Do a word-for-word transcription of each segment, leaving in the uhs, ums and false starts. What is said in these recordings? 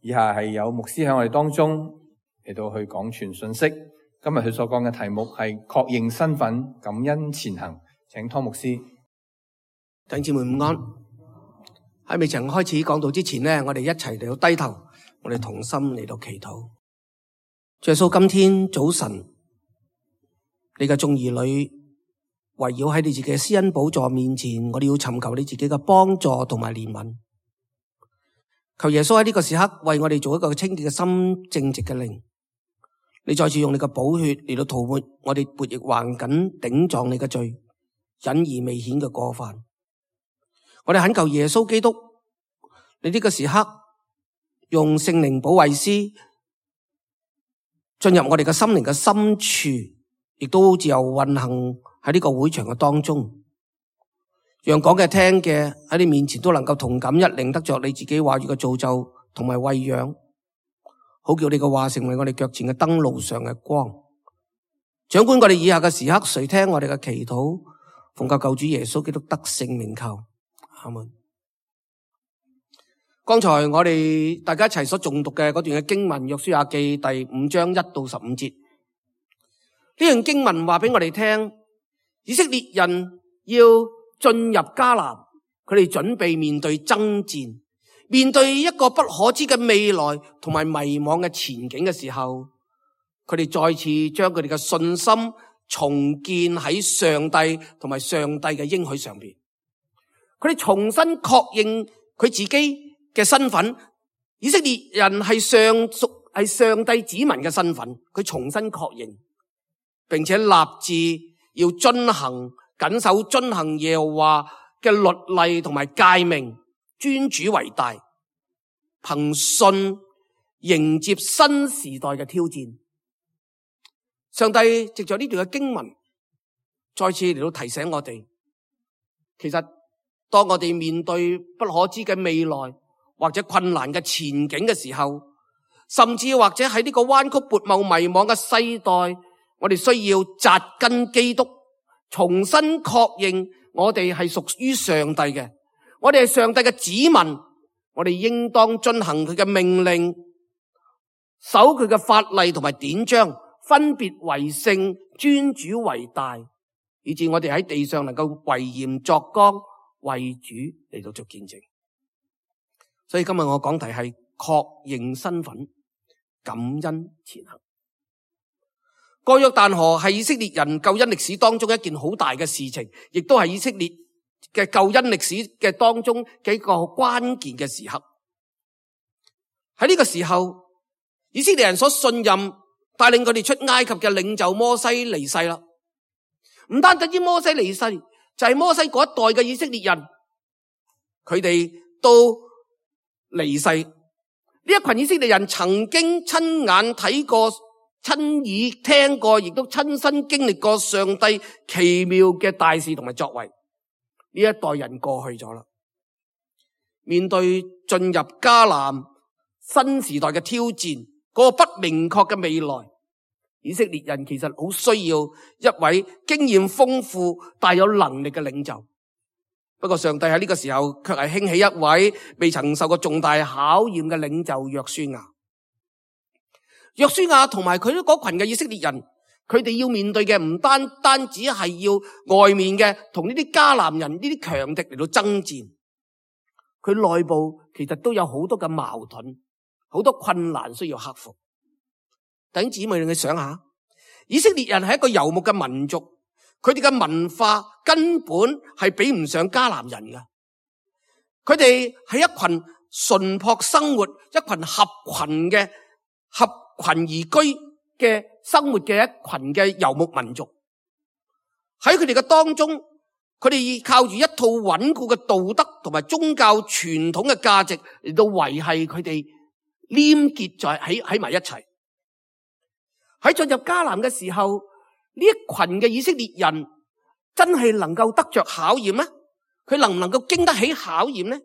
以下係有牧師喺我哋當中嚟到去講傳信息。今日佢所講嘅題目係確認身份，感恩前行。請湯牧師。弟兄姊妹午安。喺未曾開始講道之前呢，我哋一齊嚟到低頭，我哋同心嚟到祈禱。主耶穌，今天早晨，你嘅眾兒女圍繞喺你自己嘅施恩寶座面前，我哋要尋求你自己嘅幫助同埋憐憫。求耶穌喺呢個時刻為我哋做一個清潔嘅心、正直嘅靈。你再次用你嘅寶血嚟到塗抹我哋悖逆頑梗頂撞你嘅罪，隱而未顯嘅過犯。我哋懇求耶穌基督，你呢個時刻用聖靈保惠師進入我哋嘅心靈嘅深處，亦都自由運行喺呢個會場嘅當中，讓講嘅聽嘅喺你面前都能夠同感一靈，得着你自己話語嘅造就同埋餵養，好叫你嘅話成為我哋腳前嘅燈，路上嘅光。掌管我哋以下嘅時刻，垂聽我哋嘅祈禱，奉救救主耶穌基督得勝名求，阿門。剛才我哋大家一齊所誦讀嘅嗰段嘅經文，約書亞記第五章一到十五節，呢段經文話俾我哋聽，以色列人要進入迦南，佢哋準備面對爭戰，面對一個不可知嘅未來同埋迷茫嘅前景嘅時候，佢哋再次將佢哋嘅信心重建喺上帝同埋上帝嘅應許上邊。佢哋重新確認佢自己嘅身份，以色列人係上屬係上帝子民嘅身份，佢重新確認，並且立志要遵行謹守遵行耶和華嘅律例同埋誡命，尊主為大，憑信迎接新時代嘅挑戰。上帝藉着呢段嘅經文，再次嚟到提醒我哋，其實當我哋面對不可知嘅未來或者困難嘅前景嘅時候，甚至或者喺呢個彎曲悖謬迷惘嘅世代，我哋需要扎根基督，重新確認我哋係屬於上帝嘅，我哋係上帝嘅子民，我哋應當遵行佢嘅命令，守佢嘅法例同埋典章，分別為聖，尊主為大，以致我哋喺地上能夠為鹽作光，為主嚟到做見證。所以今日我講題係確認身份，感恩前行。過約旦河係以色列人救恩歷史當中一件好大嘅事情，亦都係以色列嘅救恩歷史嘅當中幾個關鍵嘅時刻。喺呢個時候，以色列人所信任帶領佢哋出埃及嘅領袖摩西離世啦。唔單止摩西離世，就係摩西嗰一代嘅以色列人，佢哋都離世。呢一群以色列人曾經親眼睇過、親耳聽過，亦都親身經歷過上帝奇妙嘅大事同埋作為。呢一代人過去咗啦，面對進入迦南新時代嘅挑戰，嗰個不明確嘅未來，以色列人其實好需要一位經驗豐富、大有能力嘅領袖。不過上帝喺呢個時候卻係興起一位未曾受過重大考驗嘅領袖約書亞。約書亞同埋佢嗰群嘅以色列人，佢哋要面對嘅唔單單只係要外面嘅同呢啲迦南人、呢啲強敵嚟到爭戰，佢內部其實都有好多嘅矛盾，好多困難需要克服。弟兄姊妹，你想下，以色列人係一個游牧嘅民族，佢哋嘅文化根本係比唔上迦南人嘅。佢哋係一群淳樸生活、一群合群嘅合群而居嘅生活嘅一群嘅游牧民族。喺佢哋嘅當中，佢哋靠住一套穩固嘅道德同埋宗教傳統嘅價值嚟到維繫佢哋黏結在喺喺埋一齊。喺進入迦南嘅時候，呢一群嘅以色列人真係能夠得着考驗咩？佢能唔能夠經得起考驗呢？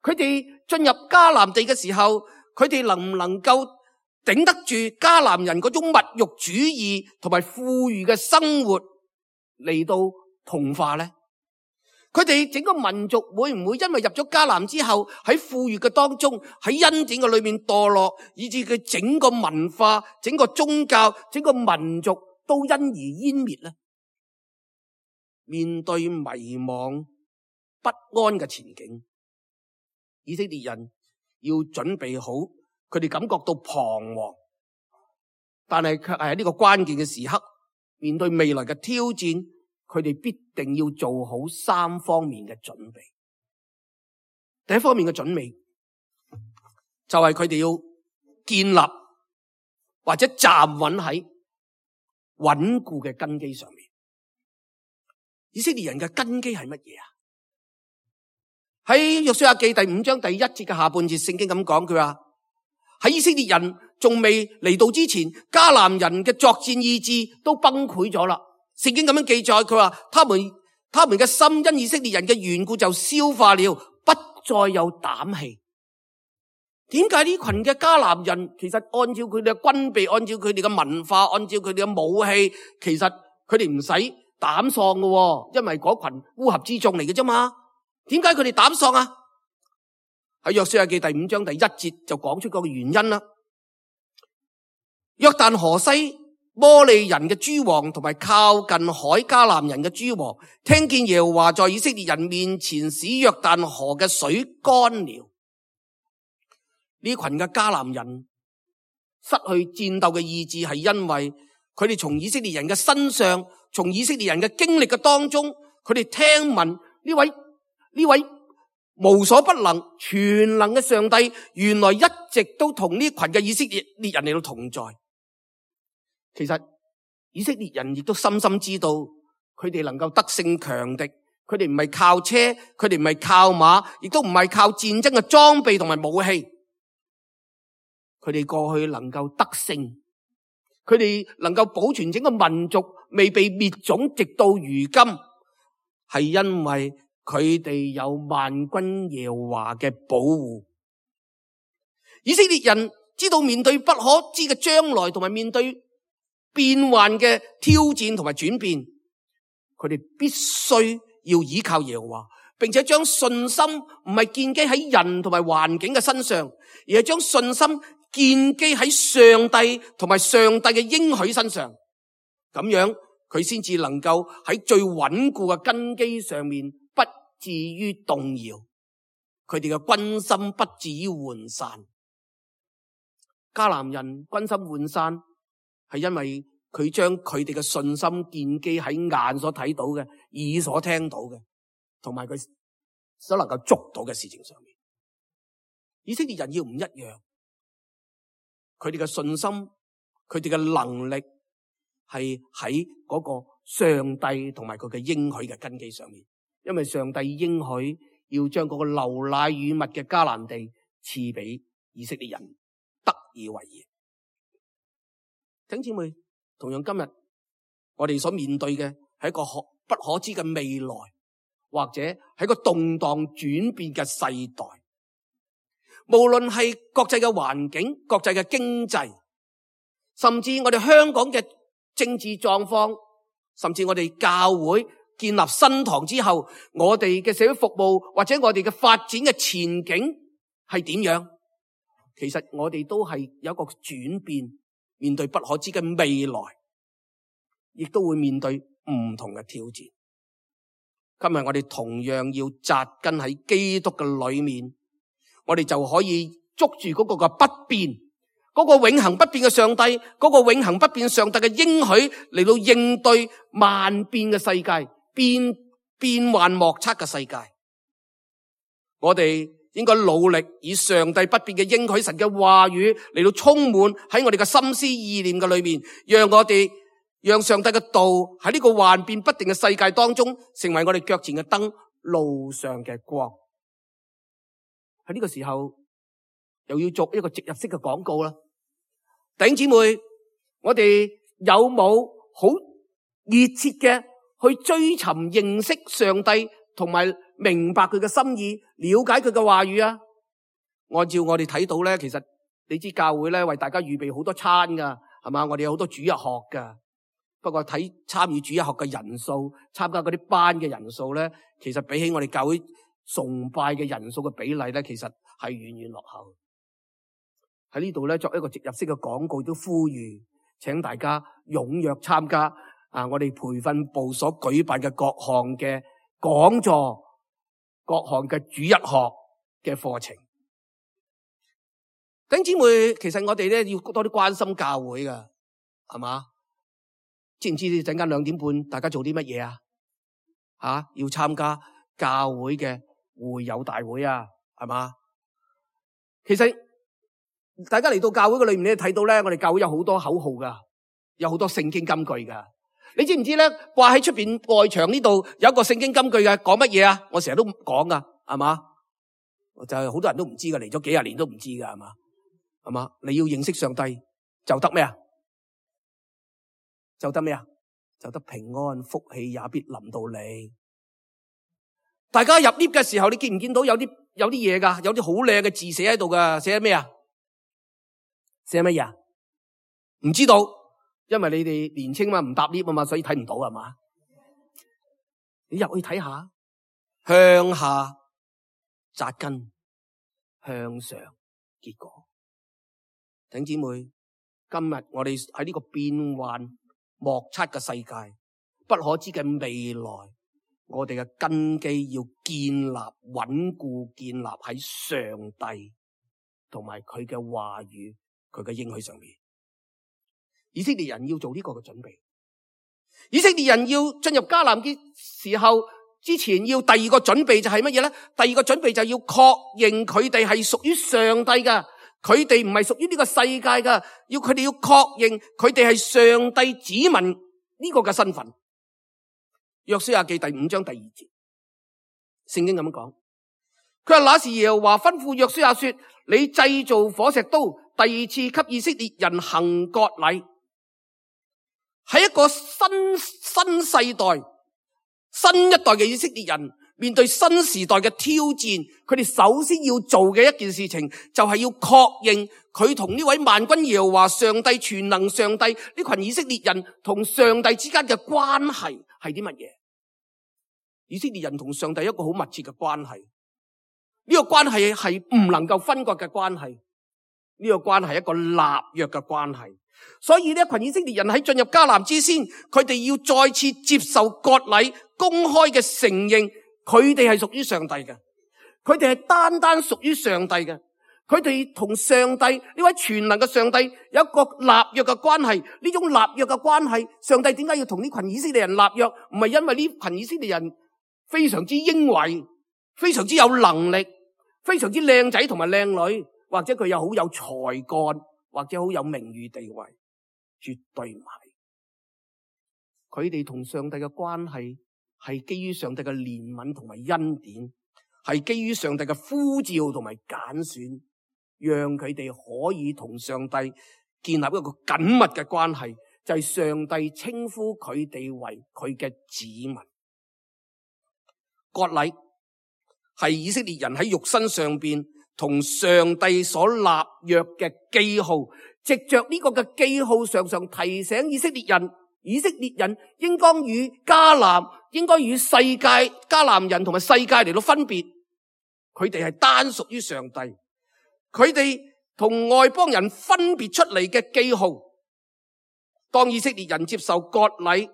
佢哋進入迦南地嘅時候，佢哋能唔能夠頂得住迦南人嗰種物欲主義同埋富裕嘅生活嚟到同化呢？佢哋整個民族會唔會因為入咗迦南之後喺富裕嘅當中，喺恩典嘅裏面墮落，以致佢整個文化、整個宗教、整個民族都因而湮滅呢？面對迷茫不安嘅前景，以色列人要準備好，佢哋感覺到彷徨，但係卻係喺呢個關鍵嘅時刻，面對未來嘅挑戰，佢哋必定要做好三方面嘅準備。第一方面嘅準備就係佢哋要建立或者站穩喺穩固嘅根基上面。以色列人嘅根基係乜嘢啊？喺約書亞記第五章第一節嘅下半節，聖經咁講，佢話喺以色列人仲未嚟到之前，迦南人嘅作戰意志都崩潰咗啦。聖經咁樣記載，佢話他們他們嘅心因以色列人嘅緣故就消化了，不再有膽氣。點解呢群嘅迦南人其實按照佢哋嘅軍備，按照佢哋嘅文化，按照佢哋嘅武器，其實佢哋唔使膽喪嘅，因為嗰群烏合之眾嚟嘅啫嘛。點解佢哋膽喪啊？喺約書亞記第五章第一節就講出嗰個原因啦。約旦河西摩利人嘅諸王同埋靠近海迦南人嘅諸王，聽見耶和華在以色列人面前使約旦河嘅水乾了。呢群嘅迦南人失去戰鬥嘅意志，係因為佢哋從以色列人嘅身上，從以色列人嘅經歷嘅當中，佢哋聽聞呢位呢位無所不能、全能嘅上帝，原來一直都同呢群嘅以色列人嚟到同在。其實以色列人亦都深深知道，佢哋能夠得勝強敵，佢哋唔係靠車，佢哋唔係靠馬，亦都唔係靠戰爭嘅裝備同埋武器。佢哋過去能夠得勝，佢哋能夠保存整個民族未被滅種，直到如今，係因為佢哋有萬軍耶和華嘅保護。以色列人知道面對不可知嘅將來，同埋面對變幻嘅挑戰同埋轉變，佢哋必須要依靠耶和華，並且將信心唔係建基喺人同埋環境嘅身上，而係將信心建基喺上帝同埋上帝嘅應許身上。咁樣佢先至能夠喺最穩固嘅根基上面不至於動搖，佢哋嘅軍心不至於渙散。迦南人軍心渙散，係因為佢將佢哋嘅信心建基喺眼所睇到嘅、耳所聽到嘅，同埋佢所能夠捉到嘅事情上面。以色列人要唔一樣，佢哋嘅信心、佢哋嘅能力係喺嗰個上帝同埋佢嘅應許嘅根基上面。因為上帝應許要將嗰個流奶與蜜嘅迦南地賜俾以色列人得以為業。弟兄姊妹，同樣今日我哋所面對嘅係一個不可知嘅未來，或者係一個動盪轉變嘅世代。無論係國際嘅環境、國際嘅經濟，甚至我哋香港嘅政治狀況，甚至我哋教會建立新堂之後，我哋嘅社會服務或者我哋嘅發展嘅前景係點樣？其實我哋都係有一個轉變，面對不可知嘅未來，亦都會面對唔同嘅挑戰。今日我哋同樣要扎根喺基督嘅裏面，我哋就可以捉住嗰個嘅不變，嗰個永恆不變嘅上帝，嗰個永恆不變上帝嘅應許嚟到應對萬變嘅世界。變變幻莫測嘅世界，我哋應該努力以上帝不變嘅應許神嘅話語嚟到充滿喺我哋嘅心思意念嘅裏面，讓我哋讓上帝嘅道喺呢個幻變不定嘅世界當中，成為我哋腳前嘅燈，路上嘅光。喺呢個時候，又要做一個植入式嘅廣告啦，弟兄姊妹，我哋有冇好熱切嘅去追尋認識上帝，同埋明白佢嘅心意，了解佢嘅話語啊？按照我哋睇到咧，其實你知教會咧為大家預備好多餐噶，係嘛？我哋有好多主日學噶。不過睇參與主日學嘅人數，參加嗰啲班嘅人數咧，其實比起我哋教會崇拜嘅人數嘅比例咧，其實係遠遠落後。喺呢度咧，作一個植入式嘅廣告，都呼籲請大家踴躍參加啊！我哋培訓部所舉辦嘅各項嘅講座、各項嘅主日學嘅課程。弟兄姊妹，其實我哋咧要多啲關心教會噶，係嘛？知唔知陣間兩點半大家做啲乜嘢啊？吓，要參加教會嘅會友大會啊，係嘛？其實大家嚟到教會嘅裏面咧，睇到咧，我哋教會有好多口號噶，有好多聖經金句噶。你知唔知咧？掛喺出邊外牆呢度有一個聖經金句嘅，講乜嘢啊？我成日都講噶，係嘛？就係好多人都唔知噶，嚟咗幾廿年都唔知噶，係嘛？係嘛？你要認識上帝就得咩啊？就得咩啊？就得平安，福氣也必臨到你。大家入 lift 嘅時候，你見唔見到有啲有啲嘢噶？有啲好靚嘅字寫喺度噶，寫咩啊？寫乜嘢啊？唔知道，因為你哋年青嘛，唔搭 lift 啊嘛，所以睇唔到係嘛？你入去睇下，向下扎根，向上結果。弟兄姊妹，今日我哋喺呢個變幻莫測嘅世界，不可知嘅未來，我哋嘅根基要建立穩固，建立喺上帝同埋佢嘅話語、佢嘅應許上面。以色列人要做呢個嘅準備，以色列人要進入迦南嘅時候，之前要第二個準備就係乜嘢咧？第二個準備就要確認佢哋係屬於上帝噶。佢哋唔係屬於呢個世界噶，要佢哋要確認佢哋係上帝子民呢個嘅身份。約書亞記第五章第二節，聖經咁樣講，佢話那時耶和華吩咐約書亞說：你製造火石刀，第二次給以色列人行割禮，係一個新新世代、新一代嘅以色列人。面對新時代嘅挑戰，佢哋首先要做嘅一件事情，就係要確認佢同呢位萬軍耶和華上帝全能上帝呢群以色列人同上帝之間嘅關係係啲乜嘢？以色列人同上帝一個好密切嘅關係，呢個關係係唔能夠分割嘅關係，呢個關係係一個立約嘅關係。所以呢一群以色列人喺進入迦南之先，佢哋要再次接受割禮，公開嘅承認。佢哋係屬於上帝嘅，佢哋係單單屬於上帝嘅，佢哋同上帝呢位全能嘅上帝有一個立約嘅關係。呢種立約嘅關係，上帝點解要同呢群以色列人立約？唔係因為呢群以色列人非常之英偉，非常之有能力，非常之靚仔同埋靚女，或者佢又好有才幹，或者好有名譽地位，絕對唔係。佢哋同上帝嘅關係係基於上帝嘅憐憫同埋恩典，係基於上帝嘅呼召同埋揀選，讓佢哋可以同上帝建立一個緊密嘅關係，就係上帝稱呼佢哋為佢嘅子民。割禮係以色列人喺肉身上邊同上帝所立約嘅記號，藉着呢個嘅記號，常常提醒以色列人，以色列人應當與迦南，應該與世界迦南人同埋世界嚟到分別。佢哋係單屬於上帝，佢哋同外邦人分別出嚟嘅記號。當以色列人接受割禮，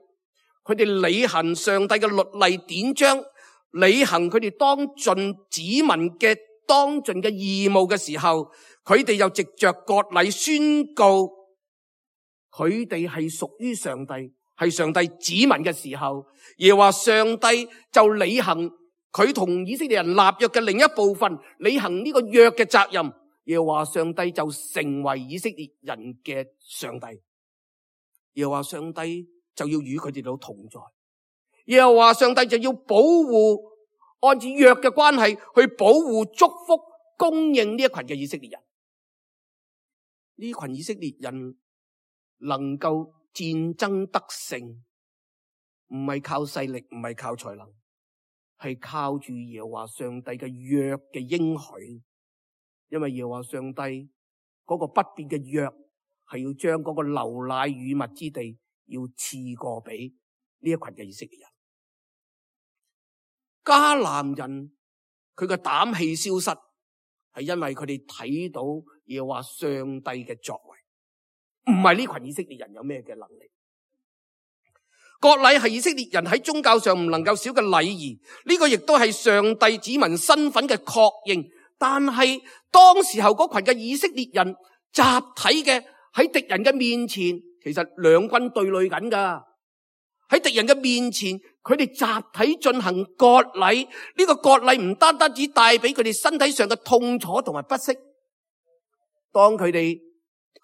佢哋履行上帝嘅律例典章，履行佢哋當盡子民嘅當盡嘅義務嘅時候，佢哋又藉着割禮宣告佢哋係屬於上帝，係上帝子民嘅時候，耶和華上帝就履行佢同以色列人立約嘅另一部分，履行呢個約嘅責任。耶和華上帝就成為以色列人嘅上帝，耶和華上帝就要與佢哋都同在，耶和華上帝就要保護，按照約嘅關係去保護、祝福、供應呢一群嘅以色列人。呢群以色列人能夠戰爭得勝，唔係靠勢力，唔係靠才能，係靠住耶和華上帝嘅約嘅應許。因為耶和華上帝嗰個不變嘅約，係要將嗰個流奶與蜜之地要賜過俾呢一群嘅以色列人。迦南人佢嘅膽氣消失，係因為佢哋睇到耶和華上帝嘅作為，唔係呢群以色列人有咩嘅能力。割禮係以色列人喺宗教上唔能夠少嘅禮儀，呢個亦都係上帝子民身份嘅確認。但係當時候嗰群嘅以色列人集體嘅喺敵人嘅面前，其實兩軍對壘緊噶。喺敵人嘅面前，佢哋集體進行割禮。呢個割禮唔單單只帶俾佢哋身體上嘅痛楚同埋不適，當佢哋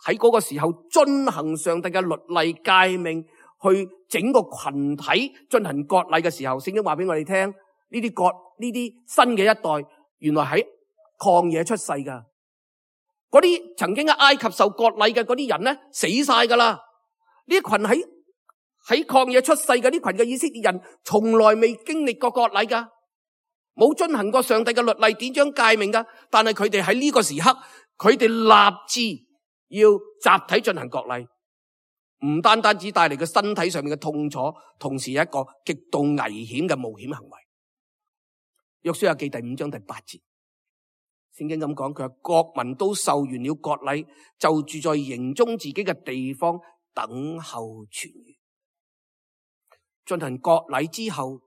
喺嗰個時候遵行上帝嘅律例誡命，去整個群體進行割禮嘅時候，聖經話俾我哋聽，呢啲割呢啲新嘅一代，原來喺曠野出世噶。嗰啲曾經喺埃及受割禮嘅嗰啲人咧，死晒噶啦。呢一群喺喺曠野出世嘅呢群嘅以色列人，從來未經歷過割禮噶，冇遵行過上帝嘅律例典章誡命噶。但係佢哋喺呢個時刻，佢哋立志要集體進行割禮。唔單單只帶嚟個身體上面嘅痛楚，同時係一個極度危險嘅冒險行為。約書亞記第五章第八節，聖經咁講，佢話國民都受完了割禮，就住在營中自己嘅地方，等候痊愈。進行割禮之後，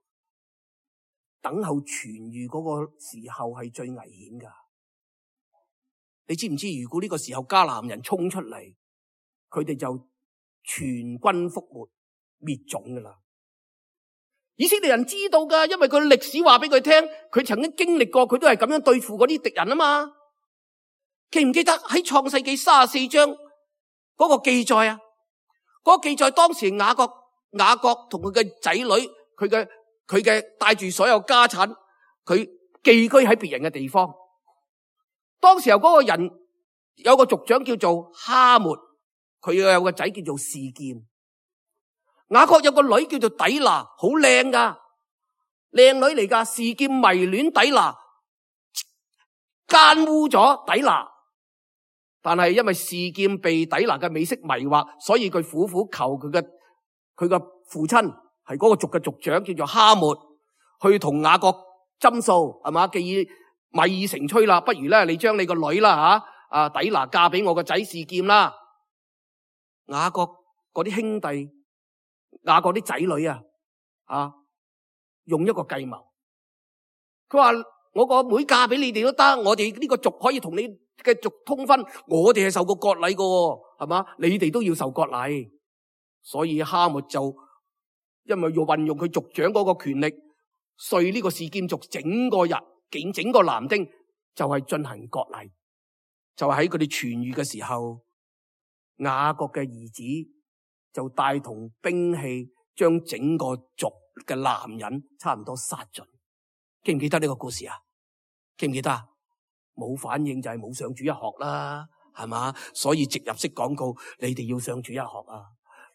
等候痊愈嗰個時候係最危險噶。你知唔知如果呢個時候迦南人衝出嚟，佢哋就全軍覆沒滅種噶啦。以色列人知道噶，因為佢歷史話俾佢聽，佢曾經經歷過，佢都係咁樣對付嗰啲敵人啊嘛。記唔記得喺創世記三十四章嗰個記載啊？嗰個記載當時雅各雅各同佢嘅仔女，佢嘅佢嘅帶住所有家產，佢寄居喺別人嘅地方。當時候嗰個人有個族長叫做哈末。佢有個仔叫做示劍，雅各有個女叫做底拿，好靚噶，靚女嚟噶。示劍迷戀底拿，奸污咗底拿，但係因為示劍被底拿嘅美色迷惑，所以佢苦苦求佢嘅佢嘅父親係嗰個族嘅族長叫做哈末，去同雅各斟數，係嘛？既已米已成炊啦，不如咧你將你個女啦吓啊底拿嫁俾我個仔示劍啦。雅各嗰啲兄弟，雅各啲仔女啊，啊，用一個計謀。佢話我個妹嫁俾你哋都得，我哋呢個族可以同你嘅族通婚，我哋係受過割禮噶，係嘛？你哋都要受割禮。所以哈末就因為要運用佢族長嗰個權力，說呢個示劍族整個日，整整個男丁就係進行割禮，就係喺佢哋痊愈嘅時候。雅各嘅兒子就帶同兵器，將整個族嘅男人差唔多殺盡。記唔記得呢個故事啊？記唔記得啊？冇反應就係冇上主日學啦，係嘛？所以植入式廣告，你哋要上主日學啊！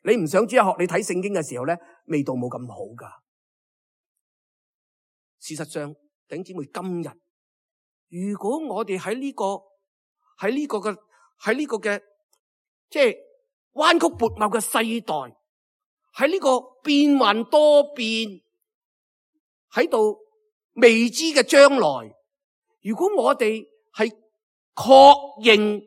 你唔上主日學，你睇聖經嘅時候咧，味道冇咁好噶。事實上，弟兄姊妹，今日如果我哋喺呢個喺呢個嘅喺呢個嘅。即係彎曲悖謬嘅世代，喺呢個變幻多變喺度未知嘅將來，如果我哋係確認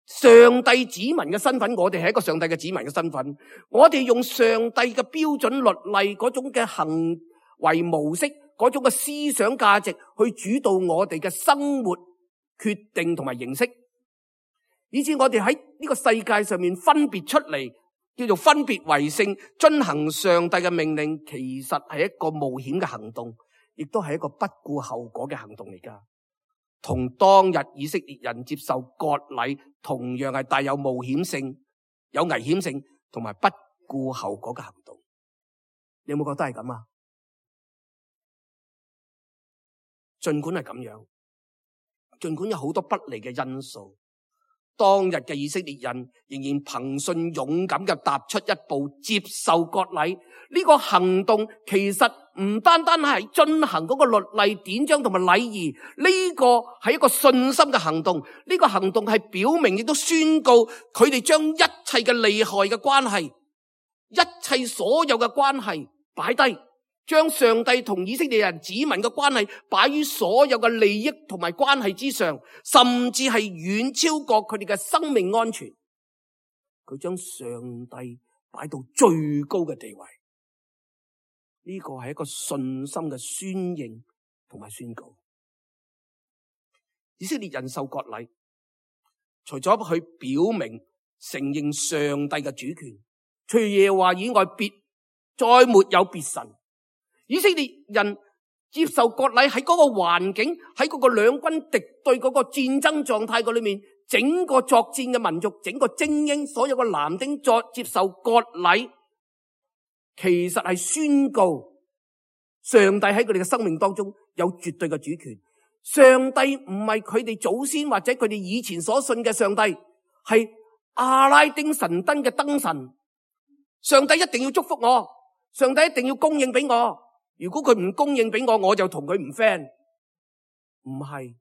上帝子民嘅身份，我哋係一個上帝嘅子民嘅身份，我哋用上帝嘅標準律例嗰種嘅行為模式，嗰種嘅思想價值去主導我哋嘅生活決定同埋形式。以至我哋喺呢個世界上面分別出嚟，叫做分別為聖，遵行上帝嘅命令，其實係一個冒險嘅行動，亦都係一個不顧後果嘅行動嚟噶。同當日以色列人接受割禮，同樣係帶有冒險性、有危險性同埋不顧後果嘅行動。你有冇覺得係咁啊？盡管係咁樣，盡管有好多不利嘅因素。當日嘅以色列人仍然憑信勇敢嘅踏出一步，接受割禮。呢個行動其實唔單單係進行嗰個律例典章同埋禮儀，呢個係一個信心嘅行動。呢個行動係表明亦都宣告佢哋將一切嘅利害嘅關係一切所有嘅關係擺低，將上帝同以色列人子民嘅關係擺於所有嘅利益同埋關係之上，甚至係遠超過佢哋嘅生命安全。佢將上帝擺到最高嘅地位，呢個係一個信心嘅宣認同埋宣告。以色列人受割禮，除咗去表明承認上帝嘅主權，除耶和華以外別再沒有別神。以色列人接受割禮喺嗰個環境，喺嗰個兩軍敵對嗰個戰爭狀態嗰裏面，整個作戰嘅民族，整個精英，所有嘅男丁作接受割禮，其實係宣告上帝喺佢哋嘅生命當中有絕對嘅主權。上帝唔係佢哋祖先或者佢哋以前所信嘅上帝，係阿拉丁神燈嘅燈神。上帝一定要祝福我，上帝一定要供應俾我。如果佢唔供應俾我，我就同佢唔 friend。唔係，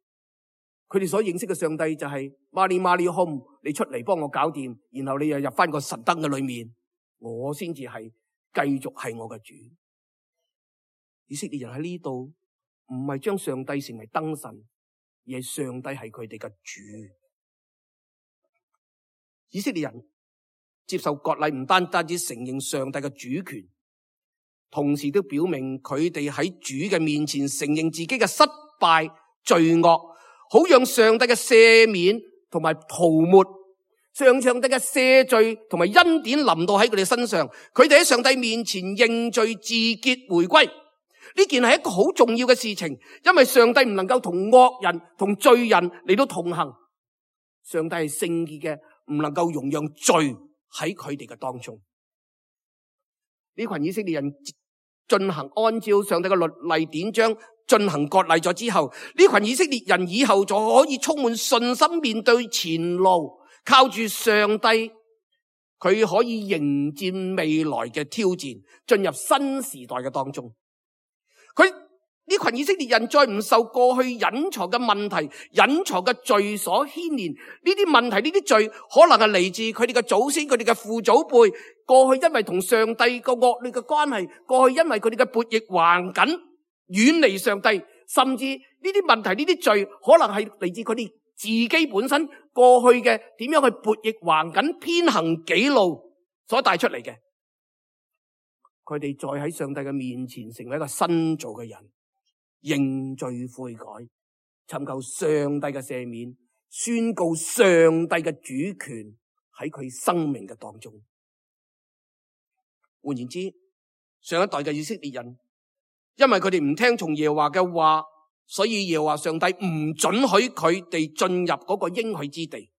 佢哋所認識嘅上帝就係馬利馬利 home， 你出嚟幫我搞掂，然後你又入翻個神燈嘅裏面，我先至係繼續係我嘅主。以色列人喺呢度唔係將上帝成為燈神，而係上帝係佢哋嘅主。以色列人接受割禮，唔單單只承認上帝嘅主權，同時都表明佢哋喺主嘅面前承認自己嘅失敗罪惡，好讓上帝嘅赦免同埋塗抹，上上帝嘅赦罪同埋恩典臨到喺佢哋身上，佢哋喺上帝面前認罪自潔回歸。呢件係一個好重要嘅事情，因為上帝唔能夠同惡人同罪人嚟到同行，上帝係聖潔嘅，唔能夠容讓罪喺佢哋嘅當中。呢群以色列人進行按照上帝嘅律例典章進行割禮咗之後，呢群以色列人以後就可以充滿信心面對前路，靠住上帝，佢可以迎戰未來嘅挑戰，進入新時代嘅當中。佢呢群以色列人再唔受過去隱藏嘅問題、隱藏嘅罪所牽連。呢啲問題、呢啲罪可能係嚟自佢哋嘅祖先、佢哋嘅父祖輩。過去因為同上帝個惡劣嘅關係，過去因為佢哋嘅悖逆橫緊，遠離上帝，甚至呢啲問題、呢啲罪可能係嚟自佢哋自己本身過去嘅點樣去悖逆橫緊、偏行己路所帶出嚟嘅。佢哋再喺上帝嘅面前成為一個新造嘅人，認罪悔改，尋求上帝嘅赦免，宣告上帝嘅主權喺佢生命嘅當中。換言之，上一代嘅以色列人，因為佢哋唔聽從耶和華嘅話，所以耶和華上帝唔准許佢哋進入嗰個應許之地。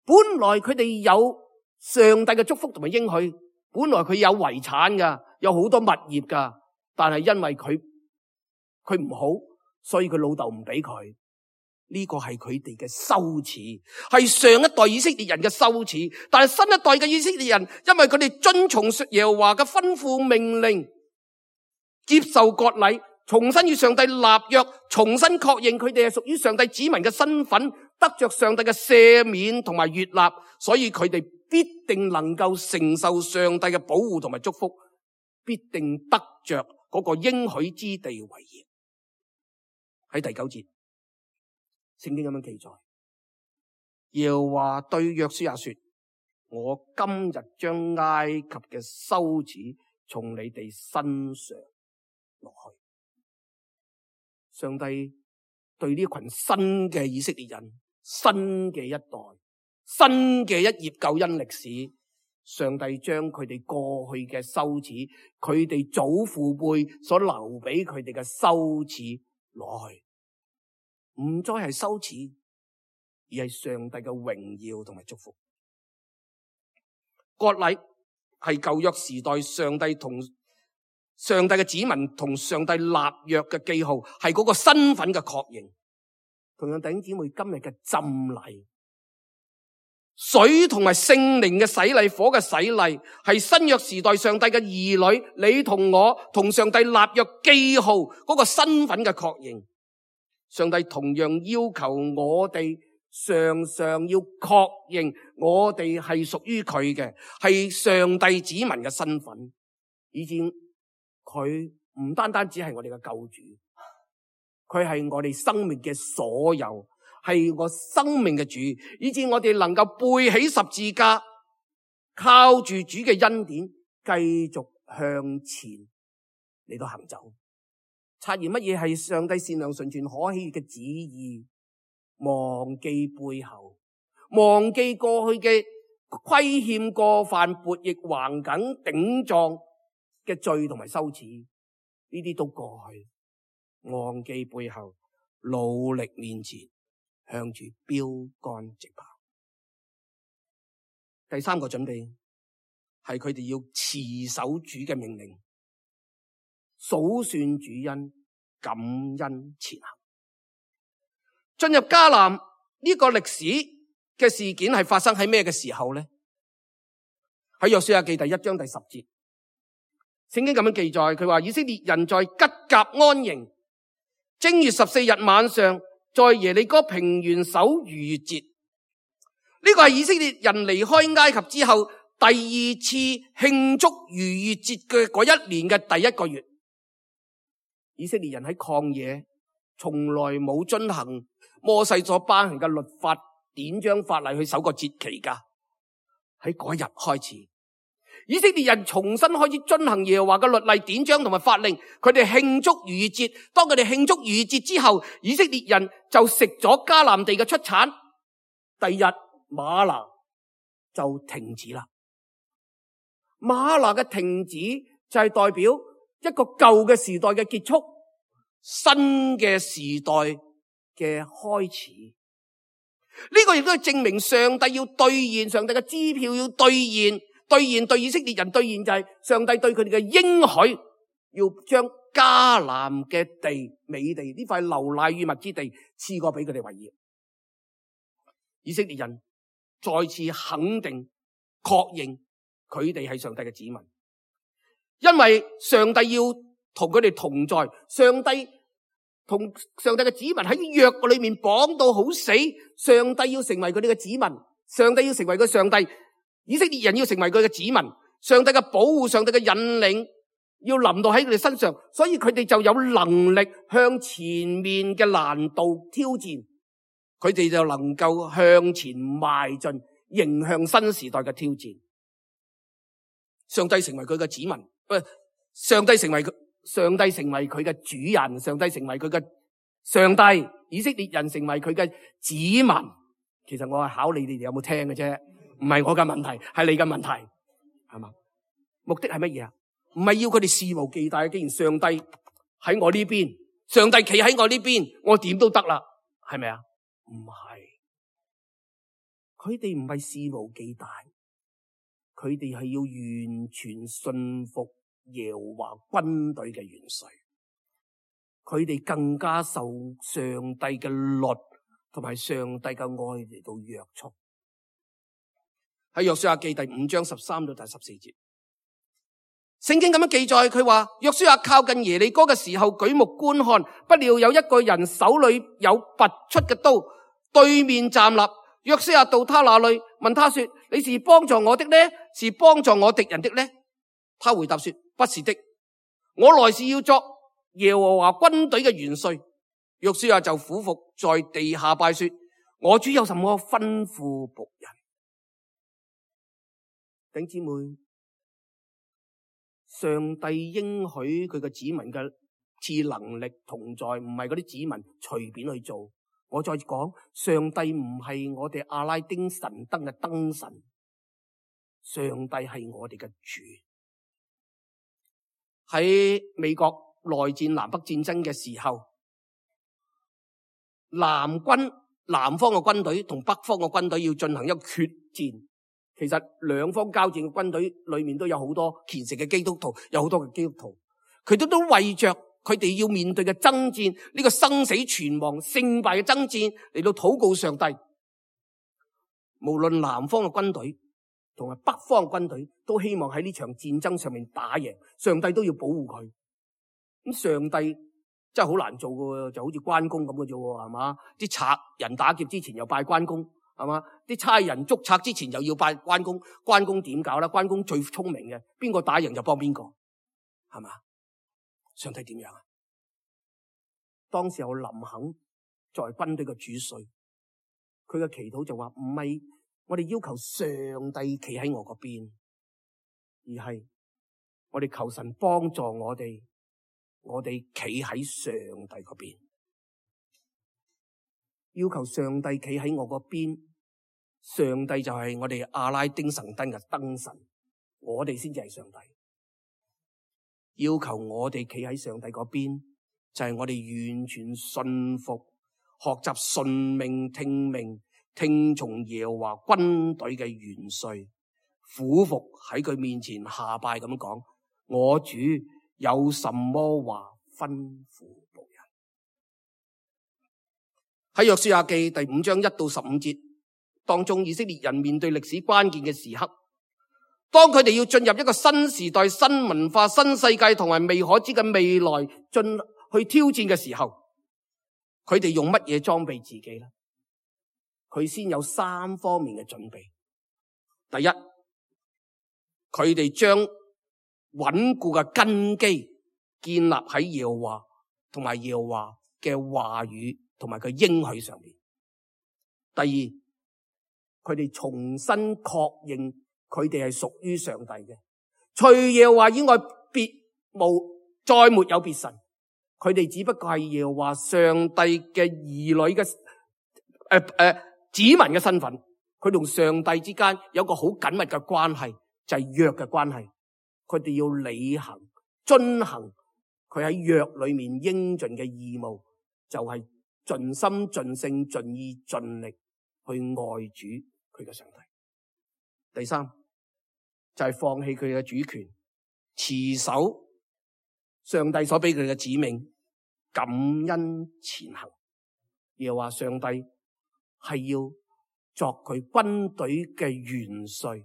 本來佢哋有上帝嘅祝福同埋應許，本來佢有遺產噶，有好多物業噶，但係因為佢佢唔好，所以佢老豆唔俾佢。呢個係佢哋嘅羞恥，係上一代以色列人嘅羞恥。但係新一代嘅以色列人，因為佢哋遵從耶和華嘅吩咐命令，接受割禮，重新與上帝立約，重新確認佢哋係屬於上帝子民嘅身份，得着上帝嘅赦免同埋悅納，所以佢哋必定能夠承受上帝嘅保護同埋祝福，必定得着嗰個應許之地為業。喺第九節，聖經咁樣記載，耶和華對約書亞說：我今日將埃及嘅羞恥從你哋身上落去。上帝對呢群新嘅以色列人，新嘅一代，新嘅一頁救恩歷史，上帝將佢哋過去嘅羞恥，佢哋祖父輩所留俾佢哋嘅羞恥攞去。唔再係羞恥，而係上帝嘅榮耀同埋祝福。割禮係舊約時代上帝同上帝嘅子民同上帝立約嘅記號，係嗰個身份嘅確認。同樣弟兄姊妹，今日嘅浸禮、水同埋聖靈嘅洗禮、火嘅洗禮，係新約時代上帝嘅兒女，你同我同上帝立約記號嗰個身份嘅確認。上帝同樣要求我哋常常要確認我哋係屬於佢嘅，係上帝子民嘅身份，以至佢唔單單只係我哋嘅救主，佢係我哋生命嘅所有，係我生命嘅主，以至我哋能夠背起十字架，靠住主嘅恩典，繼續向前嚟到行走，察驗乜嘢係上帝善良純全可喜嘅旨意，忘記背後，忘記過去嘅虧欠過犯、悖逆橫梗頂撞嘅罪同埋羞恥，呢啲都過去，忘記背後，努力面前，向住標杆直跑。第三個準備係佢哋要持守主嘅命令，數算主恩，感恩前行。進入迦南呢個歷史嘅事件係發生喺咩嘅時候呢？喺約書亞記第一章第十節，聖經咁樣記載，佢話以色列人在吉甲安營，正月十四日晚上，在耶利哥平原守逾越節。呢個係以色列人離開埃及之後第二次慶祝逾越節嘅嗰一年嘅第一個月。以色列人喺曠野從來冇遵行摩西所頒行嘅律法典章法例去守個節期噶。喺嗰日開始，以色列人重新開始遵行耶和華嘅律例典章同埋法令，佢哋慶祝逾越節。當佢哋慶祝逾越節之後，以色列人就食咗迦南地嘅出產。第二日嗎哪就停止啦。嗎哪嘅停止就係代表一個舊嘅時代嘅結束，新嘅時代嘅開始。呢個亦都係證明上帝要兌現，上帝嘅支票要兌現，兌現對以色列人兌現就係上帝對佢哋嘅應許，要將迦南嘅地美地呢塊流奶與蜜之地賜過俾佢哋為業。以色列人再次肯定確認佢哋係上帝嘅子民，因為上帝要同佢哋同在，上帝同上帝嘅子民喺約嘅裏面綁到好死，上帝要成為佢哋嘅子民，上帝要成為佢上帝，以色列人要成為佢嘅子民，上帝嘅保護，上帝嘅引領要臨到喺佢哋身上，所以佢哋就有能力向前面嘅難度挑戰，佢哋就能夠向前邁進，迎向新時代嘅挑戰。上帝成為佢嘅子民，喂，上帝成為佢。上帝成為佢嘅主人，上帝成為佢嘅上帝，以色列人成為佢嘅子民。其實我係考你哋有冇聽嘅啫，唔係我嘅問題，係你嘅問題，係嘛？目的係乜嘢啊？唔係要佢哋肆無忌憚，既然上帝喺我呢邊，上帝企喺我呢邊，我點都得啦，係咪啊？唔係，佢哋唔係肆無忌憚，佢哋係要完全信服耶和華軍隊嘅元帥，佢哋更加受上帝嘅律同埋上帝嘅愛嚟到約束。喺約書亞記第五章十三到第十四節，聖經咁樣記載，佢話約書亞靠近耶利哥嘅時候，舉目觀看，不料有一個人手裏有拔出嘅刀，對面站立。約書亞到他那裏，問他說：你是幫助我的呢，是幫助我敵人的呢？他回答說：不是的，我來是要作耶和華軍隊嘅元帥。約書亞就俯伏在地下拜說：我主有什麼吩咐僕人？弟兄姊妹，上帝應許佢嘅子民嘅賜能力同在，唔係嗰啲子民隨便去做。我再講，上帝唔係我哋阿拉丁神燈嘅燈神，上帝係我哋嘅主。喺美國內戰南北戰爭嘅時候，南軍南方嘅軍隊同北方嘅軍隊要進行一個決戰。其實兩方交戰嘅軍隊裏面都有好多虔誠嘅基督徒，有好多嘅基督徒，佢哋都為着佢哋要面對嘅爭戰，呢、這個生死存亡勝敗嘅爭戰嚟到禱告上帝。無論南方嘅軍隊同埋北方嘅軍隊都希望喺呢場戰爭上面打贏，上帝都要保護佢。咁上帝真係好難做嘅，就好似關公咁嘅啫，係嘛？啲賊人打劫之前又拜關公，係嘛？啲差人捉賊之前又要拜關公，關公點搞啦？關公最聰明嘅，邊個打贏就幫邊個，係嘛？上帝點樣啊？當時候林肯作為軍隊嘅主帥，佢嘅祈禱就話唔係我哋要求上帝企喺我嗰邊，而係我哋求神幫助我哋，我哋企喺上帝嗰邊，要求上帝企喺我嗰邊，上帝就係我哋阿拉丁神燈嘅燈神，我哋先至係上帝。要求我哋企喺上帝嗰邊，就係我哋完全信服，學習順命聽命，聽從耶和華軍隊嘅元帥，俯伏喺佢面前下拜咁講：我主有什麼話吩咐僕人？喺約書亞記第五章一到十五節當中，以色列人面對歷史關鍵嘅時刻，當佢哋要進入一個新時代、新文化、新世界同埋未可知嘅未來進去挑戰嘅時候，佢哋用乜嘢裝備自己呢？佢先有三方面嘅準備。第一，佢哋將穩固嘅根基建立喺耶和華同埋耶和華嘅話語同埋佢應許上面。第二，佢哋重新確認佢哋係屬於上帝嘅，除耶和華以外別無再沒有別神，佢哋只不過係耶和華上帝嘅兒女嘅誒誒子民嘅身份，佢同上帝之間有個好緊密嘅關係，就係約嘅關係。佢哋要履行遵行佢喺約裏面應盡嘅義務，就係盡心盡性盡意盡力去愛主佢嘅上帝。第三就係放棄佢嘅主權，持守上帝所俾佢嘅指命，感恩前行。又話上帝係要作佢軍隊嘅元帥，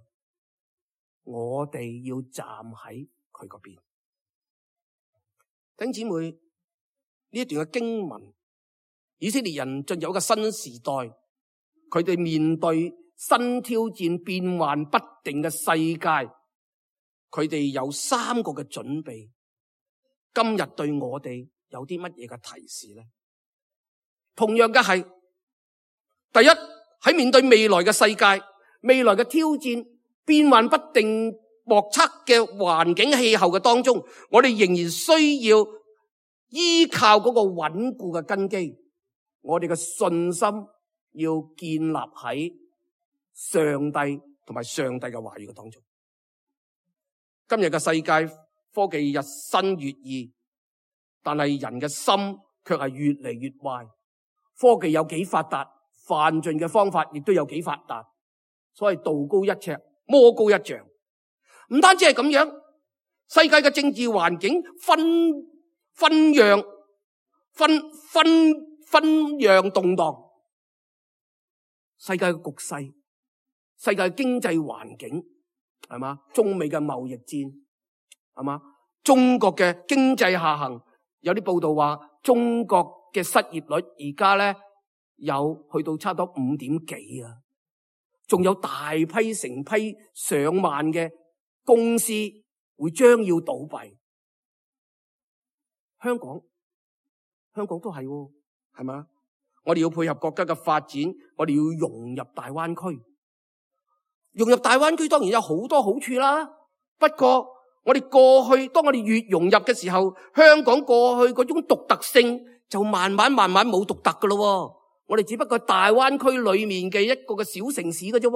我哋要站喺佢嗰邊。弟兄姊妹，呢一段嘅經文，以色列人進入一個新時代，佢哋面對新挑戰、變幻不定嘅世界，佢哋有三個嘅準備。今日對我哋有啲乜嘢嘅提示呢？同樣嘅係，第一，喺面對未來嘅世界、未來嘅挑戰、變幻不定、莫測嘅環境氣候嘅當中，我哋仍然需要依靠嗰個穩固嘅根基，我哋嘅信心要建立喺上帝同埋上帝嘅話語嘅當中。今日嘅世界科技日新月異，但係人嘅心卻係越嚟越壞。科技有幾發達，犯罪嘅方法亦都有幾發達，所謂道高一尺，魔高一丈。唔單止係咁樣，世界嘅政治環境分分樣分分分樣動盪，世界嘅局勢，世界嘅經濟環境係嘛？中美嘅貿易戰係嘛？中國嘅經濟下行，有啲報道話中國嘅失業率而家咧有去到差唔多五點幾啊，仲有大批成批上萬嘅公司會將要倒閉。香港，香港都係喎，係嘛？我哋要配合國家嘅發展，我哋要融入大灣區。融入大灣區當然有好多好處啦，不過我哋過去，當我哋越融入嘅時候，香港過去嗰種獨特性就慢慢慢慢冇獨特噶咯。我哋只不過大灣區裏面嘅一個嘅小城市嘅啫。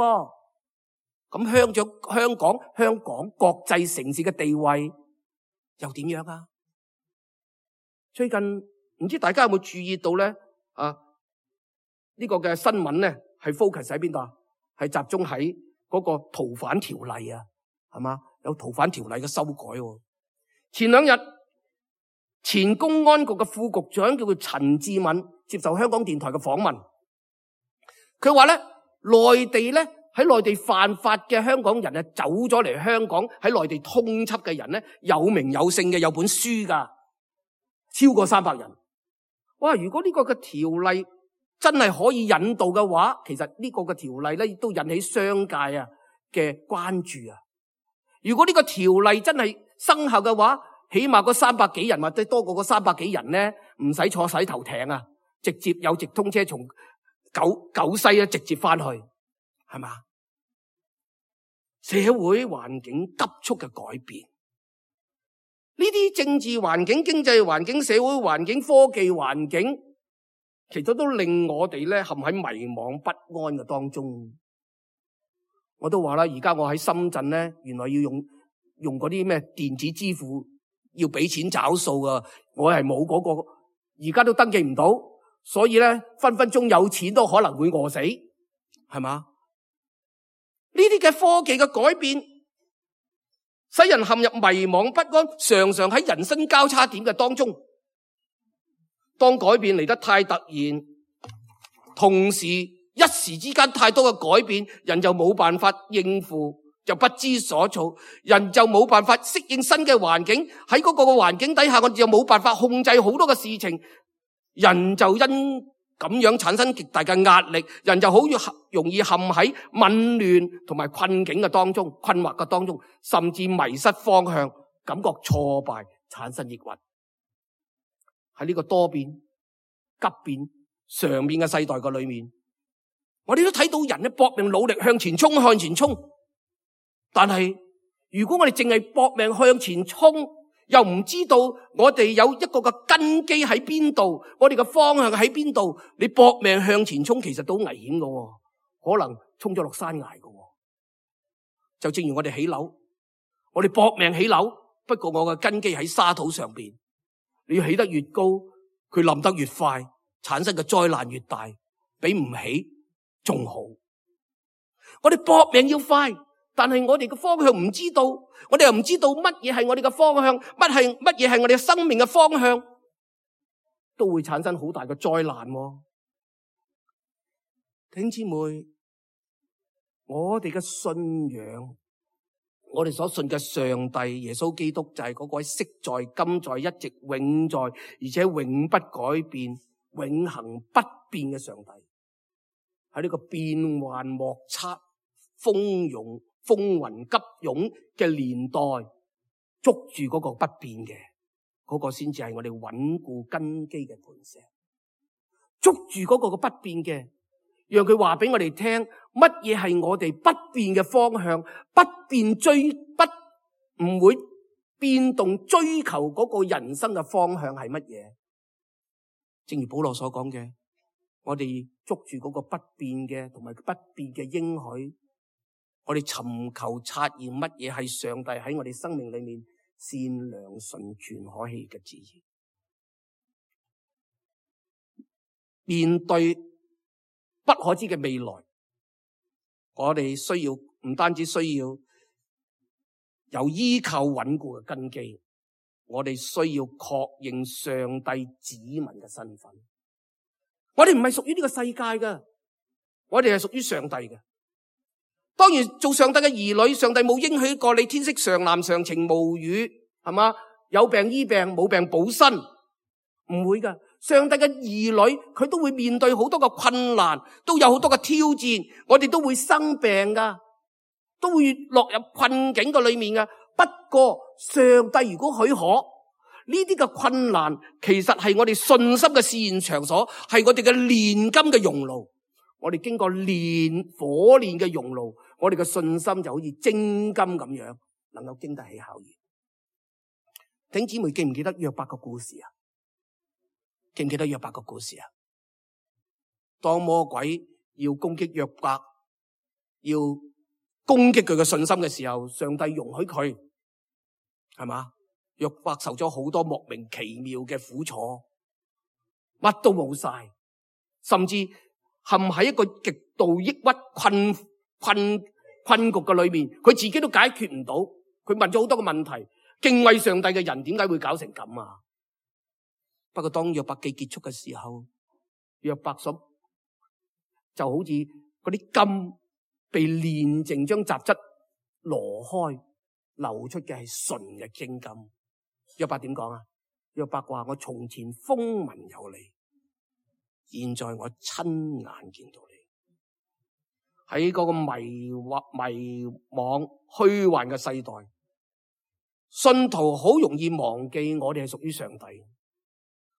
咁香咗香港香港國際城市嘅地位又點樣啊？最近唔知大家有冇注意到咧？啊，呢個嘅新聞咧係 focus 喺邊度啊？係集中喺嗰個逃犯條例啊，係嘛？有逃犯條例嘅修改。前兩日前公安局嘅副局長叫做陳志敏接受香港電台嘅訪問，佢話咧內地咧喺內地犯法嘅香港人啊，走咗嚟香港喺內地通緝嘅人咧，有名有姓嘅，有本書噶，超過三百人。哇！如果呢個嘅條例真係可以引導嘅話，其實呢個嘅條例咧亦都引起商界啊嘅關注啊。如果呢個條例真係生效嘅話，起碼嗰三百幾人或者多過嗰三百幾人咧，唔使坐洗頭艇啊，直接有直通車從九九西啊直接翻去，係嘛？社會環境急速嘅改變，呢啲政治環境、經濟環境、社會環境、科技環境，其實都令我哋咧陷喺迷惘不安嘅當中。我都話啦，而家我喺深圳咧，原來要用用嗰啲咩電子支付，要俾錢找數噶，我係冇嗰個，而家都登記唔到，所以咧分分鐘有錢都可能會餓死，係嘛？呢啲嘅科技嘅改變，使人陷入迷惘不安，常常喺人生交叉點嘅當中。當改變嚟得太突然，同時一時之間太多嘅改變，人就冇辦法應付，就不知所措，人就冇辦法適應新嘅環境。喺嗰個環境底下，我哋就冇辦法控制好多嘅事情，人就因咁樣產生極大嘅壓力，人就好容易陷喺紊亂同埋困境嘅當中、困惑嘅當中，甚至迷失方向，感覺挫敗，產生抑鬱。喺呢個多變、急變、常變嘅世代嘅裏面，我哋都睇到人咧搏命努力向前衝、向前衝。但係如果我哋淨係搏命向前衝，又唔知道我哋有一個嘅根基喺邊度，我哋嘅方向喺邊度，你搏命向前衝，其實都危險㗎，可能衝咗落山崖㗎。就正如我哋起樓，我哋搏命起樓，不過我嘅根基喺沙土上邊，你要起得越高，佢冧得越快，產生嘅災難越大，比唔起仲好。我哋搏命要快，但係我哋嘅方向唔知道，我哋又唔知道乜嘢係我哋嘅方向，乜係乜嘢係我哋嘅生命嘅方向，都會產生好大嘅災難。弟兄姊妹，我哋嘅信仰，我哋所信嘅上帝耶穌基督就係嗰位昔在、今在、一直永在，而且永不改變、永恆不變嘅上帝。喺呢個變幻莫測、風湧風雲急湧嘅年代，捉住嗰個不變嘅，嗰個先至係我哋穩固根基嘅磐石。捉住嗰個嘅不變嘅，讓佢話俾我哋聽，乜嘢係我哋不變嘅方向，不變追不唔會變動追求嗰個人生嘅方向係乜嘢？正如保羅所講嘅，我哋捉住嗰個不變嘅同埋不變嘅應許。我哋尋求察驗乜嘢係上帝喺我哋生命裏面善良、純全、可喜嘅旨意。面對不可知嘅未來，我哋需要唔單止需要有依靠穩固嘅根基，我哋需要確認上帝子民嘅身份。我哋唔係屬於呢個世界嘅，我哋係屬於上帝嘅。當然做上帝嘅兒女，上帝冇應許過你天色常藍常晴無雨，係嘛？有病醫病，冇病補身，唔會噶。上帝嘅兒女佢都會面對好多嘅困難，都有好多嘅挑戰，我哋都會生病噶，都會落入困境嘅裏面噶。不過上帝如果許可，呢啲嘅困難其實係我哋信心嘅試驗場所，係我哋嘅煉金嘅熔爐。我哋經過煉火煉嘅熔爐，我哋嘅信心就好似精金咁樣，能夠經得起考驗。弟兄姊妹記唔記得約伯個故事啊？記唔記得約伯個故事啊？當魔鬼要攻擊約伯，要攻擊佢嘅信心嘅時候，上帝容許佢，係嘛？約伯受咗好多莫名其妙嘅苦楚，乜都冇晒，甚至陷喺一個極度抑鬱困困困局嘅裏面，佢自己都解決唔到。佢問咗好多個問題，敬畏上帝嘅人點解會搞成咁啊？不過當約伯記結束嘅時候，約伯所就好似嗰啲金被煉淨，將雜質挪開，流出嘅係純嘅精金。約伯點講啊？約伯話：我從前風聞有你，現在我親眼見到你。喺嗰個迷惑、迷惘、虛幻嘅世代，信徒好容易忘記我哋係屬於上帝。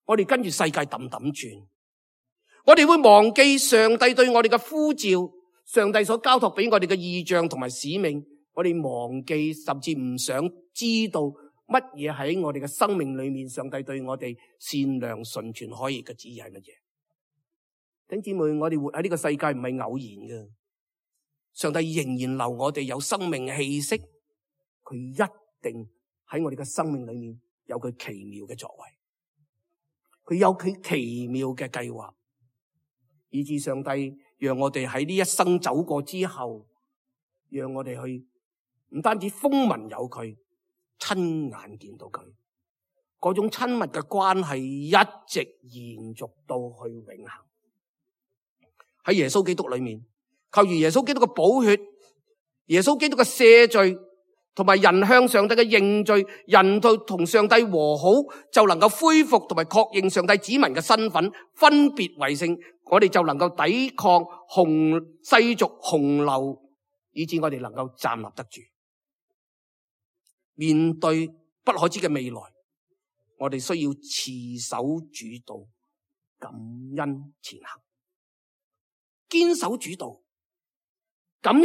我哋跟住世界氹氹轉，我哋會忘記上帝對我哋嘅呼召，上帝所交託俾我哋嘅異象同埋使命。我哋忘記，甚至唔想知道乜嘢喺我哋嘅生命裏面，上帝對我哋善良、純全、可疑嘅旨意係乜嘢？弟兄姊妹，我哋活喺呢個世界唔係偶然嘅。上帝仍然留我哋有生命氣息，佢一定喺我哋嘅生命裏面有佢奇妙嘅作為，佢有佢奇妙嘅計劃，以致上帝讓我哋喺呢一生走過之後，讓我哋去唔單止風聞有佢，親眼見到佢，嗰種親密嘅關係一直延續到去永恆。喺耶穌基督裏面，靠住耶穌基督嘅寶血，耶穌基督嘅赦罪，同埋人向上帝嘅認罪，人到同上帝和好，就能夠恢復同埋確認上帝子民嘅身份，分別為聖，我哋就能夠抵抗洪世俗洪流，以致我哋能夠站立得住。面對不可知嘅未來，我哋需要持守主道，感恩前行，堅守主道。感恩，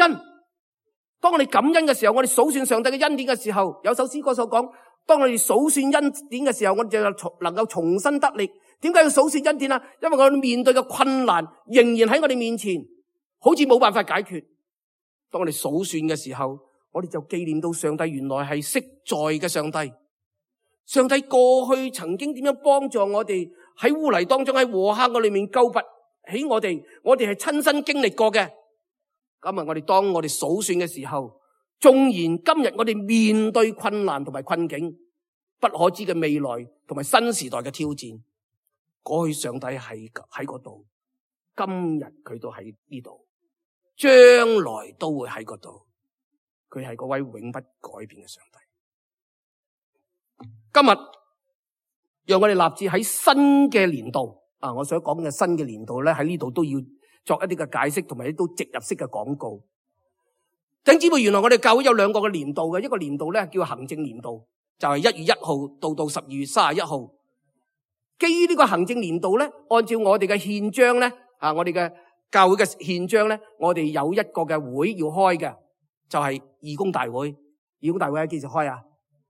當我哋感恩嘅時候，我哋數算上帝嘅恩典嘅時候，有首詩歌所講，當我哋數算恩典嘅時候，我哋就能夠重新得力。點解要數算恩典啊？因為我哋面對嘅困難仍然喺我哋面前，好似冇辦法解決。當我哋數算嘅時候，我哋就紀念到上帝原來係昔在嘅上帝。上帝過去曾經點樣幫助我哋喺污泥當中，喺禍坑嘅裏面救拔起我哋，我哋係親身經歷過嘅。今日我哋當我哋數算嘅時候，縱然今日我哋面對困難同埋困境，不可知嘅未來同埋新時代嘅挑戰，過去上帝係喺嗰度，今日佢都喺呢度，將來都會喺嗰度。佢係嗰位永不改變嘅上帝。今日讓我哋立志喺新嘅年度啊，我想講嘅新嘅年度咧，喺呢度都要作一啲嘅解釋，同埋都植入式嘅廣告。弟兄姊妹，原來我哋教會有兩個嘅年度嘅，一個年度咧叫行政年度，就係一月一號到到十二月三十一號。基於呢個行政年度咧，按照我哋嘅憲章咧，啊，我哋嘅教會嘅憲章咧，我哋有一個嘅會要開嘅，就係義工大會。義工大會喺幾時開啊？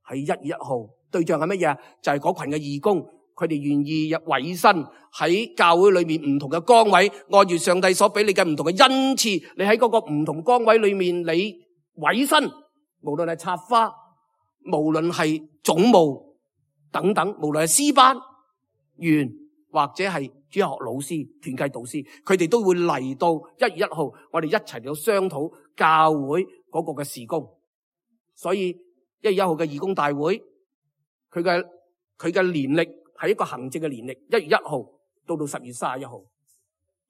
喺一月一號。對象係乜嘢啊？就係嗰群嘅義工。佢哋願意入委身喺教會裏面唔同嘅崗位，按住上帝所俾你嘅唔同嘅恩賜，你喺嗰個唔同崗位裏面，你委身，無論係插花，無論係總務等等，無論係詩班員或者係主學老師、團契導師，佢哋都會嚟到一月一號，我哋一齊嚟到商討教會嗰個嘅事工。所以一月一號嘅義工大會，佢嘅佢嘅年曆係一個行政嘅年曆，一月一號到到十月三十一號，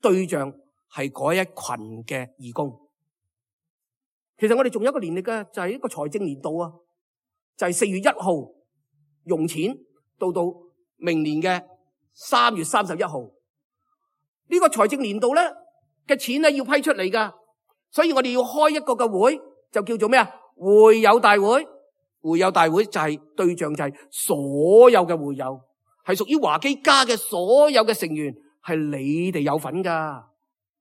對象係嗰一群嘅義工。其實我哋仲有一個年曆嘅，就係一個財政年度啊，就係四月一號用錢到到明年嘅三月三十一號。呢個財政年度咧嘅錢咧要批出嚟噶，所以我哋要開一個嘅會，就叫做咩啊？會友大會。會友大會就係對象，就係所有嘅會友，係屬於華基家嘅所有嘅成員，係你哋有份噶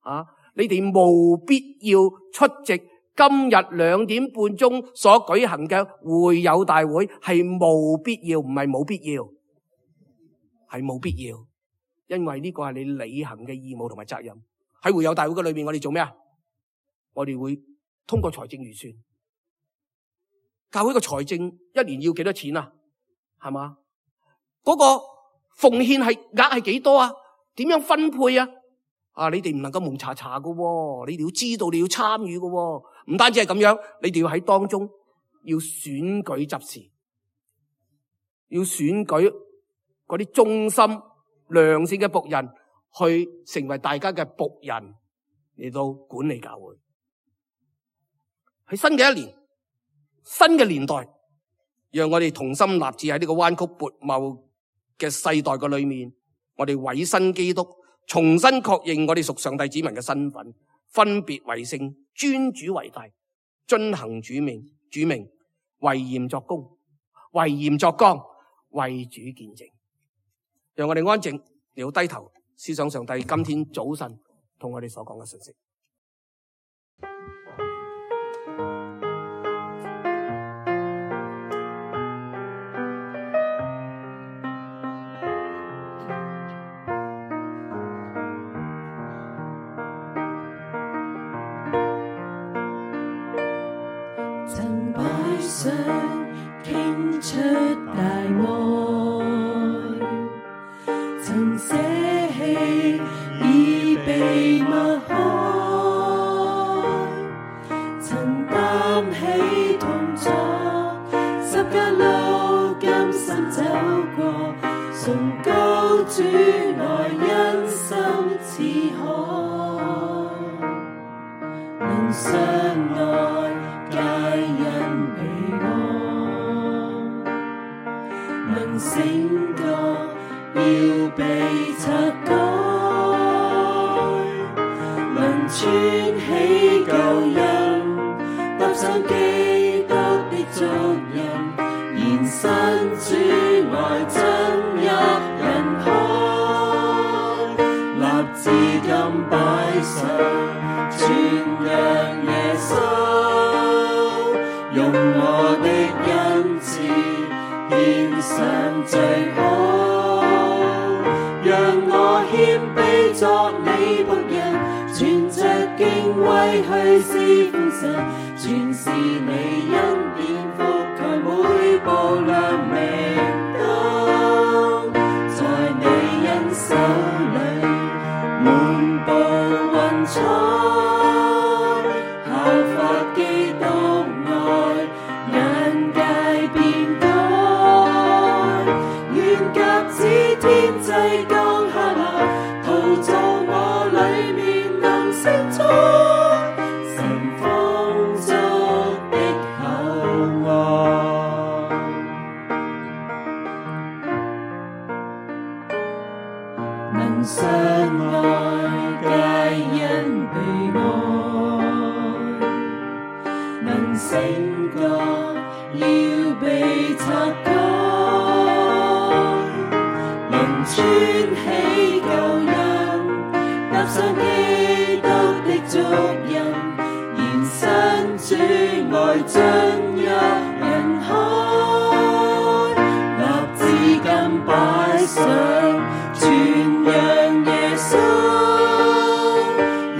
啊！你哋務必要出席今日兩點半鐘所舉行嘅會友大會，係務必要，唔係冇必要，係冇必要，因為呢個係你履行嘅義務同埋責任。喺會友大會嘅裏面，我哋做咩啊？我哋會通過財政預算。教會個財政一年要幾多錢啊？係嘛？嗰個奉獻係額係幾多啊？點樣分配啊？啊！你哋唔能夠蒙查查噶，你哋要知道，你要參與噶。唔單止係咁樣，你哋要喺當中要選舉執事，要選舉嗰啲忠心良善嘅僕人，去成為大家嘅僕人嚟到管理教會。喺新嘅一年，新嘅年代，讓我哋同心立志喺呢個彎曲悖謬嘅世代嘅裏面，我哋委身基督，重新確認我哋屬上帝子民嘅身份，分別為聖，尊主為大，遵行主命，主命為鹽作工，為鹽作光，為主見證。讓我哋安靜，你要低頭思想上帝今天早晨同我哋所講嘅信息。曾擺上傾出大愛，曾捨棄已被抹開，曾擔起痛楚，十架路甘心走過，崇高主愛因心似海，能相愛皆因被愛，能醒覺要被拆改，能穿起舊人，踏上基督的足印，延伸主愛真一人開，立志今擺上傳揚耶穌，用我的恩賜獻上最好，讓我謙卑作你僕人，存着敬畏去侍奉神，全是你恩典覆蓋每步亮明燈，在你恩手裏滿布雲彩，效法基督愛，眼界變改，願鴿子天際降下來，陶造我裏面能承載神豐足的厚愛，能相愛皆因被愛，能醒覺要被拆改，能穿起舊人，踏上基督的足印，延伸主愛真一人開，立志今擺上傳揚耶穌，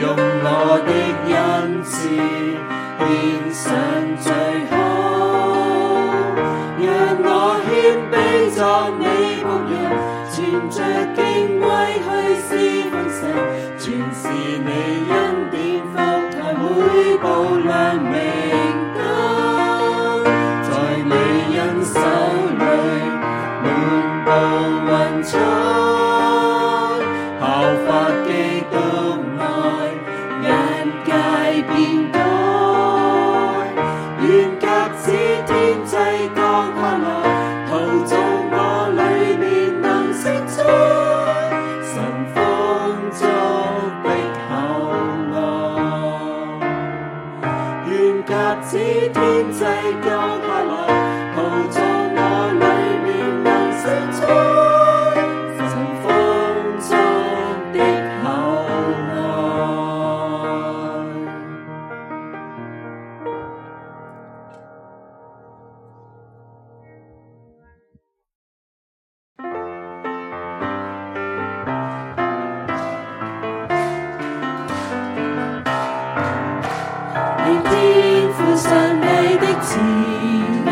用我的恩賜獻上最好，讓我謙卑作你僕人，存着敬畏去侍奉神，全是你恩典覆蓋每步亮明燈，在你恩手裏滿布雲彩，效法基督愛，眼界變改，願鴿子天際降下來，陶造我裏面能承載神豐足的厚愛，願鴿子天際降下來，陶造我裏面能承載神豐足的厚愛。願天父上帝的慈愛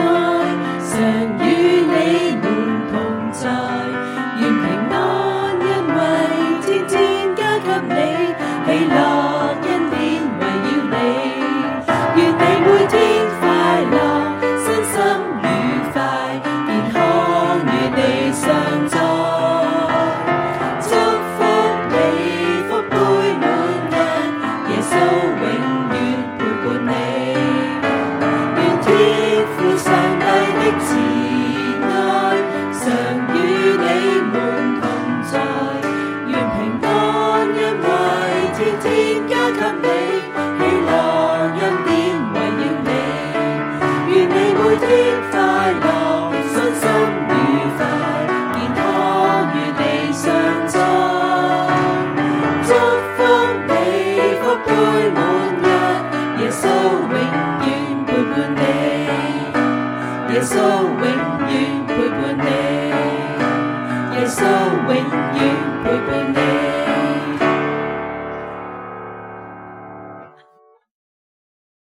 耶穌永遠陪伴你，耶穌永遠陪伴你，耶穌永遠陪伴你。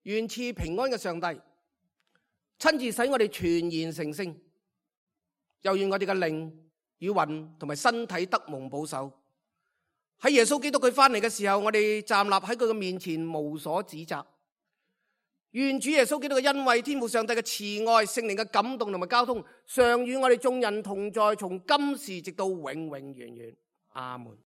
願賜平安嘅上帝親自使我哋全然成聖，又願我哋嘅靈與魂同埋身體得蒙保守。喺耶穌基督佢翻嚟嘅時候，我哋站立喺佢嘅面前無所指責。願主耶穌基督嘅恩惠、天父上帝嘅慈愛、聖靈嘅感動同埋交通，常與我哋眾人同在，從今時直到永永遠遠。阿門。